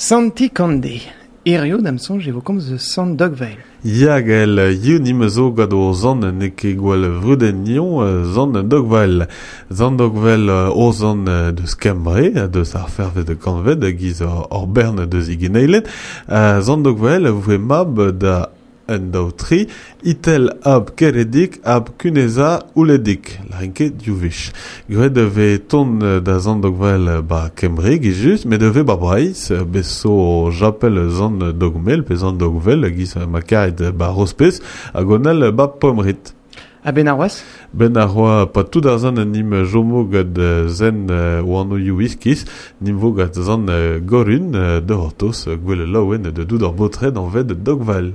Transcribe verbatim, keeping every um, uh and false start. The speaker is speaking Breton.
Santi Kande. Hirio da'm soñj e vo komz eus Sant Dogvael. Ya gael, hiziv nim zo gant o zant n'eo ket gwall vrudet nion zant Dogvael. Zant Dogvael o zant deus Kembre, deus ar fervet de kantved, giz ur bern deus igeneilet. Zant Dogvael voe mab da un daou tri, itel ab keredik ab kuneza ouledik, larin ket div wech. Graet e vez ton da zant Dogvael ba Kembre, giz just, met e vez ba Breizh, bez zo japel zant Dogmel pe zant Dogvel, giz ma karet ba Rospez, hag onel ba Pomrit. Ha ben ar oaz? Ben ar oa pa tout ar zant nim jomo gant zen oano ioù iskis, nim vo gant zant Gorun, de hortos, gwell laouen de doud ar botred an ved Dogval.